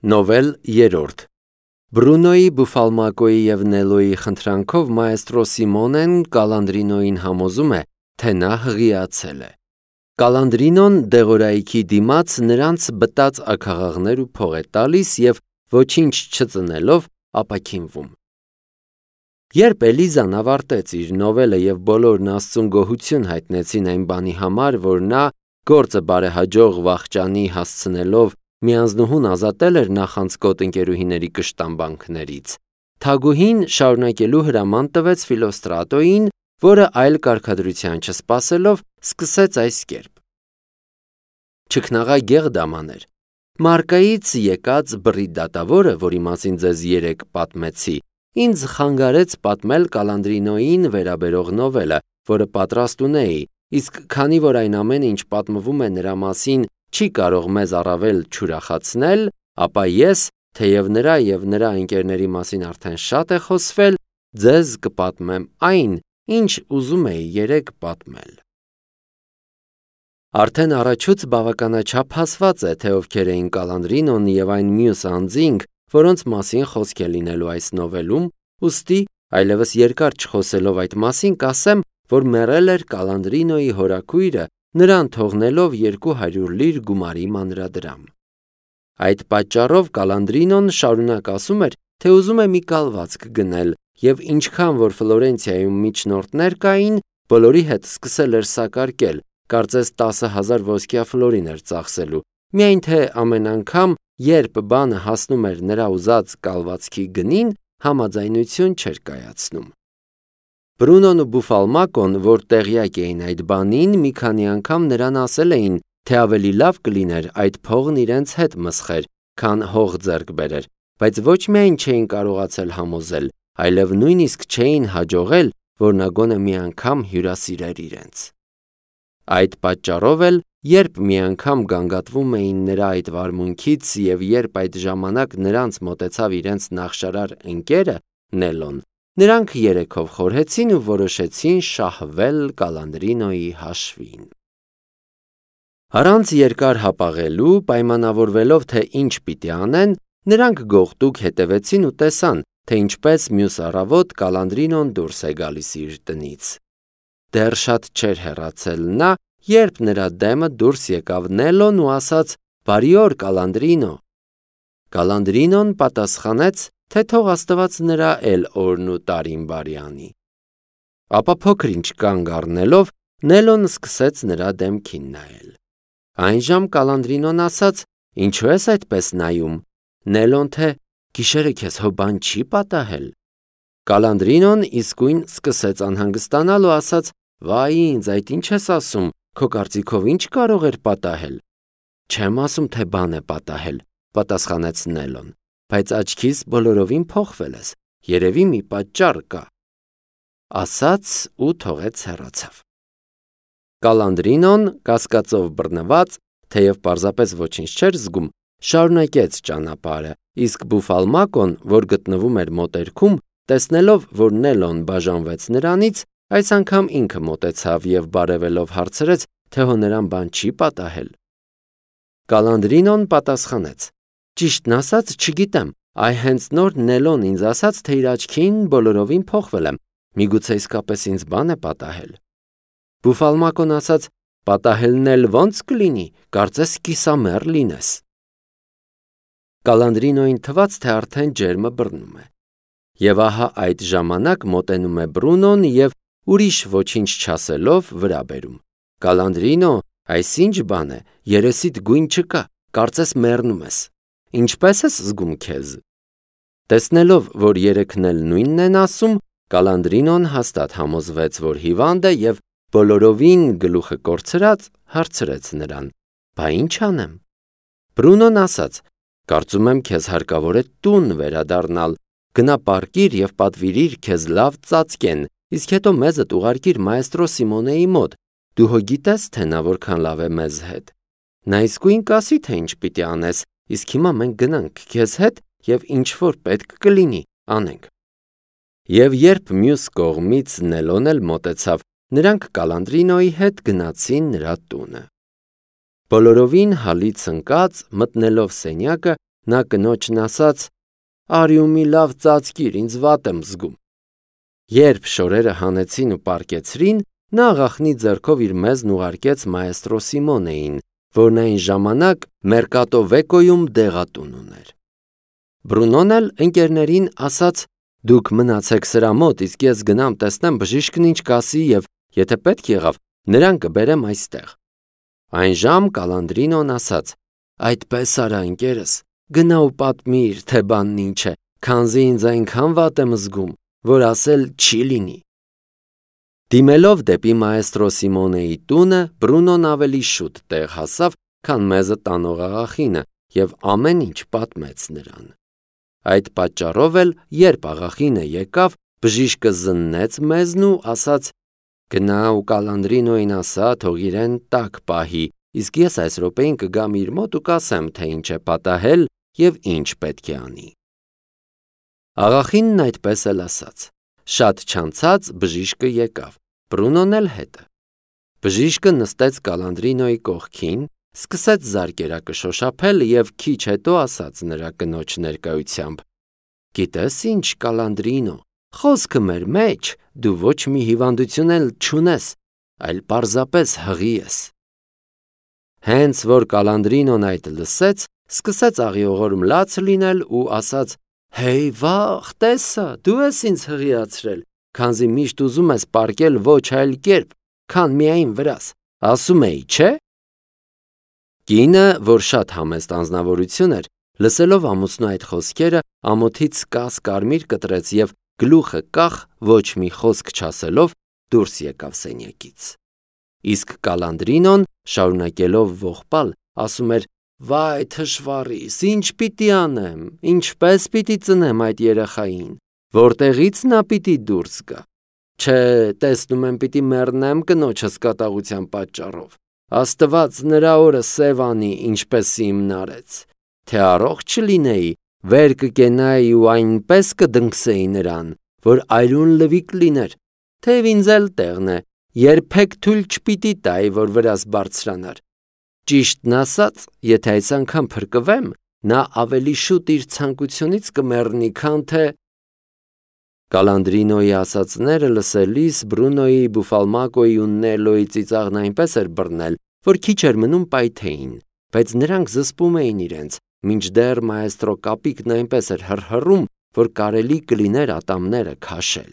Նովել 3 Բրունոյի, Բուֆալմակոյի և Նելոյի խնդրանքով մայեստրո Սիմոնեն Կալանդրինոյին համոզում է, թե նա հղիացել է։ Կալանդրինոն դեղորայքի դիմաց նրանց բտած աքաղաղներ ու փող է տալիս և ոչինչ չծնելով ապաքինվում։ Երբ Էլիզան ավարտեց իր նովելը և բոլորն Աստծուն գոհություն հայտնեցին այն բանի համար, որ նա գործը բարեհաջող վախճանի հասցնելով միանձնուհուն ազատել էր նախանցկոտ ընկերուհիների կշտամբանքներից, թագուհին շարունակելու հրաման տվեց Ֆիլոստրատոյին, որը այլ կարգադրության չսպասելով սկսեց այս կերպ. Չքնաղա դամաներ, Մարկայից եկած բռի դատավորը, որի մասին ձեզ երեկ պատմեցի, ինձ խանգարեց պատմել Կալանդրինոյին վերաբերող նովելը, որը պատրաստ ունեի, իսկ քանի որ այն ամենը, ինչ պատմվում է նրա մասին, չի կարող մեզ առավել չուրախացնել, ապա ես, թեև նրա և նրա ընկերների մասին արդեն շատ է խոսվել, ձեզ կպատմեմ այն, ինչ ուզում էի երեկ պատմել։ Արդեն առաջուց բավականաչափ հասված է, թե ովքեր էին Կալանդրինոն և այն մյուս անձինք, որոնց մասին խոսք է լինելու այս նովելում, ուստի, այլևս երկար չխոսելով այդ մասին, կասեմ, որ մեռել էր Կալանդրինոյի հորաքույրը, նրան թողնելով 200 լիր գումարի մանրադրամ։ Այդ պատճառով Կալանդրինոն շարունակ ասում էր, թե ուզում է մի կալվածք գնել և ինչքան որ Ֆլորենցիայում միջնորդներ կային, բոլորի հետ սկսել էր սակարկել, կարծես 10,000 ոսկյա ֆլորին էր ծախսելու, միայն թե ամեն անգամ, երբ բանը հասնում էր նրա ուզած կալվածքի գնին, համաձայնություն չէր կայացնում։ Բրունոն ու Բուֆալմակոն, որ տեղյակ էին այդ բանին, մի քանի անգամ նրան ասել էին, թե ավելի լավ կլիներ այդ փողն իրենց հետ մսխեր, քան հող ձեռք բերեր, բայց ոչ միայն չէին կարողացել համոզել, այլև նույնիսկ չէին հաջողել, որ նա գոնե մի անգամ հյուրասիրեր իրենց։ Այդ պատճառով էլ, երբ մի անգամ գանգատվում էին նրա այդ վարմունքից և երբ այդ ժամանակ նրանց մոտեցավ իրենց նախշարար ընկերը Նելոն, նրանք երեքով խորհեցին ու որոշեցին շահվել Կալանդրինոյի հաշվին։ Առանց երկար հապաղելու, պայմանավորվելով, թե ինչ պիտի անեն, նրանք գողտուկ հետևեցին ու տեսան, թե ինչպես մյուս առավոտ Կալանդրինոն դուրս է գալիս իր տնից։ Դեռ շատ չէր հեռացել նա, երբ նրա դեմը դուրս եկավ Նելոն ու ասաց. «Բարի օր, Կալանդրինո»։ Կալանդրինոն պատասխանեց, թե թող Աստված նրա էլ օրն ու տարին բարի անի։ Ապա փոքր-ինչ կանգ առնելով, Նելոն սկսեց նրա դեմքին նայել։ Այնժամ Կալանդրինոն ասաց. «Ինչու ես այդպես նայում»։ Նելոն թե «Գիշերը քեզ հո բան չի պատահել»։ Կալանդրինոն իսկույն սկսեց անհանգստանալ ու ասաց. «Վայ ինձ, այդ ինչ ես ասում, քո կարծիքով ինչ կարող էր պատահել»։ «Չեմ ասում, թե բան է պատահել», պատասխանեց Նելոն, «բայց աչքիս բոլորովին փոխվել ես, երևի մի պատճառ կա»։ Ասաց ու թողեց հեռացավ։ Կալանդրինոն, կասկածով բռնված, թեև պարզապես ոչինչ չէր զգում, շարունակեց ճանապարհը, իսկ Բուֆալմակոն, որ գտնվում էր մոտերքում, տեսնելով, որ Նելոն բաժանվեց նրանից, այս անգամ ինքը մոտեցավ և բարևելով հարցրեց, թե հո նրան բան չի պատահել։ Կալանդրինոն պատասխանեց. «Ճիշտն ասած, չգիտեմ, այ հենց նոր Նելոն ինձ ասաց, թե իր աչքին բոլորովին փոխվել եմ, միգուցե իսկապես ինձ բան է պատահել»։ Բուֆալմակոն ասաց. «Պատահելն էլ ո՞նց կլինի, կարծես կիսամեռ լինես»։ Կալանդրինոյին թվաց, թե արդեն ջերմը բռնում է։ Եվ ահա այդ ժամանակ մոտենում է Բրունոն և ուրիշ ոչինչ չասելով վրա բերում. «Կալանդրինո, այս ինչ բան է, երեսիդ գույն չկա, կարծես մեռնում ես, ինչպե՞ս ես զգում քեզ»։ Տեսնելով, որ երեքն էլ նույնն են ասում, Կալանդրինոն հաստատ համոզվեց, որ հիվանդ է և բոլորովին գլուխը կորցրած հարցրեց նրան. «Բա ինչ անեմ»։ Բրունոն ասաց. «Կարծում եմ քեզ հարկավոր է տուն վերադառնալ, գնա պառկիր և պատվիրիր քեզ լավ ծածկեն, իսկ հետո մեզդ ուղարկիր մայեստրո Սիմոնեի մոտ, դու հո գիտես, թե նա որքան լավ է մեզ հետ։ Նա իսկույն կասի, թե ինչ պիտի անես, իսկ հիմա մենք գնանք քեզ հետ և ինչ որ պետք կլինի, անենք»։ Եվ երբ մյուս կողմից Նելոն էլ մոտեցավ, նրանք Կալանդրինոյի հետ գնացին նրա տունը։ Բոլորովին հալից ընկած, մտնելով սենյակը, նա կնոջն ասաց. «Արի ու մի լավ ծածկիր, ինձ վատ եմ զգում»։ Երբ շորերը հանեցին ու պառկեցրին, նա աղախնի ձեռքով իր մեզն ուղարկեց մայեստրո Սիմոնեին, որն այն ժամանակ Մերկատո Վեկոյում դեղատուն ուներ։ Բրունոն էլ ընկերներին ասաց. «Դուք մնացեք սրա մոտ, իսկ ես գնամ տեսնեմ բժիշկն ինչ կասի և եթե պետք եղավ, նրան կբերեմ այստեղ»։ Այն ժամ Կալանդրինոն ասաց. «Այդպես արա ընկերս, գնա ու պատմիր, թե բանն ինչ է, քանզի ինձ այնքան վատ եմ զգում, որ ասել չի լինի»։ Դիմելով դեպի մայեստրո Սիմոնեի տունը, Բրունոն ավելի շուտ տեղ հասավ, քան մեզը տանող աղախինը, և ամեն ինչ պատմեց նրան։ Այդ պատճառով էլ, երբ աղախինը եկավ, բժիշկը զննեց մեզն ու ասաց. «Գնա ու Կալանդրինոյին ասա, թող իրեն տաք պահի, իսկ ես այս րոպեին կգամ իր մոտ ու կասեմ, թե ինչ է պատահել և ինչ պետք է անի»։ Աղախինն այդպես էլ ասաց։ Շատ չանցած բժիշկը եկավ, Բրունոն էլ հետը։ Բժիշկը նստեց Կալանդրինոյի կողքին, սկսեց զարկերակը շոշափել և քիչ հետո ասաց նրա կնոջ ներկայությամբ. «Գիտես ինչ, Կալանդրինո, խոսքը մեր մեջ դու ոչ մի հիվանդություն էլ չունես, այլ պարզապես հղի ես»։ Հենց որ Կալանդրինոն այդ լսեց, սկսեց աղիողորմ լաց լինել ու ասաց. «Հեյ վաղ, տեսա, դու ես ինձ հղիացրել, քանզի միշտ ուզում ես պառկել ոչ այլ կերպ, քան միայն վրաս, ասում էի, չէ՞։ Կինը, որ շատ համեստ անձնավորություն էր, լսելով ամուսնու այդ խոսքերը, ամոթից կաս կարմիր կտրեց և գլուխը կախ, ոչ մի խոսք չասելով, դուրս եկավ սենյակից։ Իսկ Կալանդրինոն, շարունակելով ողբալ, ասում էր. «Վայ թշվառիս, ինչ պիտի անեմ, ինչպես պիտի ծնեմ այդ երեխային, որտեղից նա պիտի դուրս գա։ Չէ, տեսնում եմ պիտի մեռնեմ կնոջս կատաղության պատճառով։ Աստված նրա օրը սև անի, ինչպես իմն արեց։ Թե առողջ չլինեի, վեր կկենայի ու այնպես կդնքսեի նրան, որ այրուն լվիկ լիներ, թեև ինձ էլ տեղն է, երբեք թույլ չպիտի տայի, որ վրաս բարձրանար։ Ճիշտն ասած, եթե այս անգամ փրկվեմ, նա ավելի շուտ իր ցանկությունից կմեռնի, քան թե…» Կալանդրինոյի ասածները լսելիս Բրունոյի, Բուֆալմակոյի ու Նելոյի ծիծաղն այնպես էր բռնել, որ քիչ էր մնում պայթեին, բայց նրանք զսպում էին իրենց, մինչդեռ մայեստրո կապիկն այնպես էր հռհռում, որ կարելի կլիներ ատամները քաշել։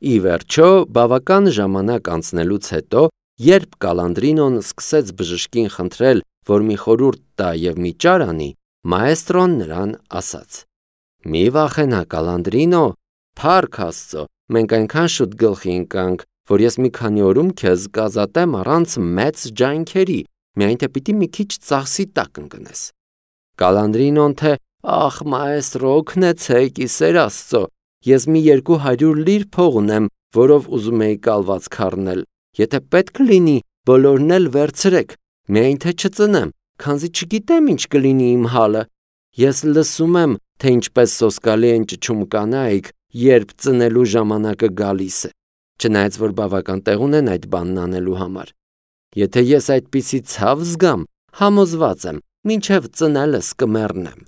Ի վերջո, բավական ժամանակ անցնելուց հետո, երբ Կալանդրինոն սկսեց բժշկին խնդրել, որ մի խորհուրդ տա և մի ճար անի, մայեստրոն նրան ասաց. «Մի վախենա, Կալանդրինո, փառք Աստծո, մենք այնքան շուտ գլխի ընկանք, որ ես մի քանի օրում քեզ կազատեմ առանց մեծ ջանքերի, միայն թե պիտի մի քիչ ծախսի տակ ընկնես»։ Կալանդրինոն թե. «Ախ, մայեստրո, օգնեցեք, ի սեր Աստծո, ես մի 200 լիր փող ունեմ, որով ուզում էի կալվածք առնել, եթե պետք լինի, բոլորն էլ վերցրեք, միայն թե չծնեմ, քանզի չգիտեմ ինչ կլինի իմ հալը։ Ես լսում եմ, թե ինչպես սոսկալի են ճչում կանայք, երբ ծնելու ժամանակը գալիս է, չնայած որ բավական տեղ ունեն այդ բանն անելու համար։ Եթե ես այդպիսի ցավ զգամ, համոզված եմ, մինչև ծնելս կմեռնեմ»։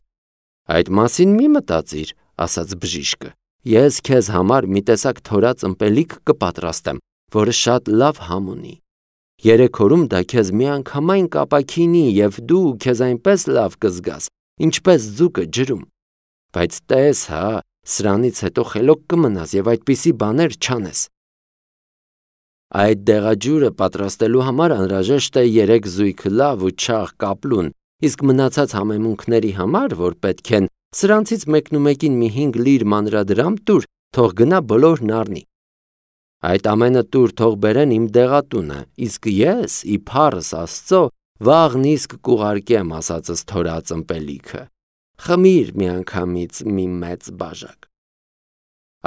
«Այդ մասին մի մտածիր», ասաց բժիշկը, «ես քեզ համար մի տեսակ թորած ըմպելիք կպատրաստեմ, որը շատ լավ համ ունի։ 3 օրում դա քեզ միանգամայն կապաքինի և դու քեզ այնպես լավ կզգաս, ինչպես ձուկը ջրում։ Բայց տես հա, սրանից հետո խելոք կմնաս և այդպիսի բաներ չանես։ Այդ դեղաջուրը պատրաստելու համար անհրաժեշտ է 3 զույգ լավ ու չաղ կապլուն, իսկ մնացած համեմունքների համար, որ պետք են, սրանցից մեկնումեկին մի 5 լիր մանրադրամ տուր, թող գնա բոլորն առնի։ Այդ ամենը տուր թող բերեն իմ դեղատունը, իսկ ես, ի փառս Աստծո, վաղն իսկ կուղարկեմ ասածս թորած ըմպելիքը։ Խմիր միանգամից մի մեծ բաժակ»։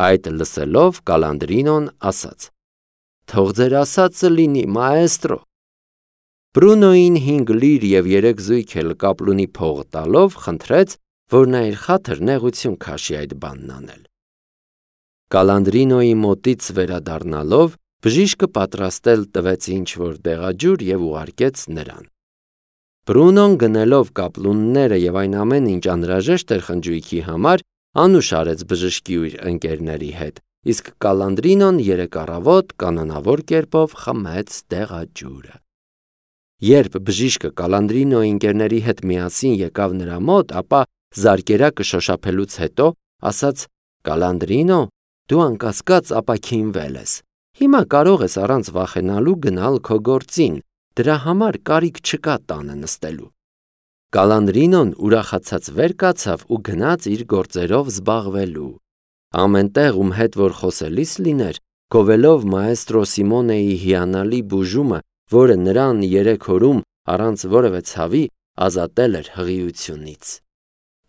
Այդ լսելով Կալանդրինոն ասաց. «Թող ձեր ասածը լինի, մայեստրո»։ Բրունոյին 5 լիր և 3 զույգ էլ կապլունի փող տալով, խնդրեց, որ նա իր խաթր նեղություն քաշի այդ բանն անել։ Կալանդրինոյի մոտից վերադառնալով, բժիշկը պատրաստել տվեց ինչ-որ դեղաջուր և ուղարկեց նրան։ Բրունոն գնելով կապլունները եւ այն ամեն ինչ անհրաժեշտ էր խնջույքի համար, անուշ արեց բժշկի ու իր ընկերների հետ, իսկ Կալանդրինոն 3 առավոտ կանոնավոր կերպով խմեց դեղաջուրը։ Երբ բժիշկը Կալանդրինոյի ընկերների հետ միասին եկավ նրա մոտ, ապա զարկերակը շոշափելուց հետո ասաց. «Կալանդրինո, դու անկասկած ապաքինվել ես։ Հիմա կարող ես առանց վախենալու գնալ քո գործին, դրա համար կարիք չկա տանը նստելու»։ Կալանդրինոն ուրախացած վեր կացավ ու գնաց իր գործերով զբաղվելու։ Ամեն տեղ, ում հետ որ խոսելիս լիներ, գովելով մաեստրո Սիմոնեի հիանալի բուժումը, որը նրան 3 օրում առանց որևէ ցավի ազատել էր հղիությունից։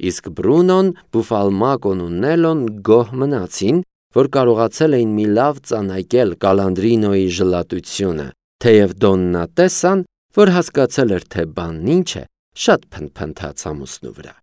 Իսկ Բրունոն, Բուֆալմակոն ու Նելոն գոհ մնացին, որ կարողացել էին մի լավ ծանայկել Կալանդրինոյի ժլատությունը, թեև Դոննա տեսան, որ հասկացել էր, թե բանն ինչ է, շատ փնթփնթաց ամուսնու վրա։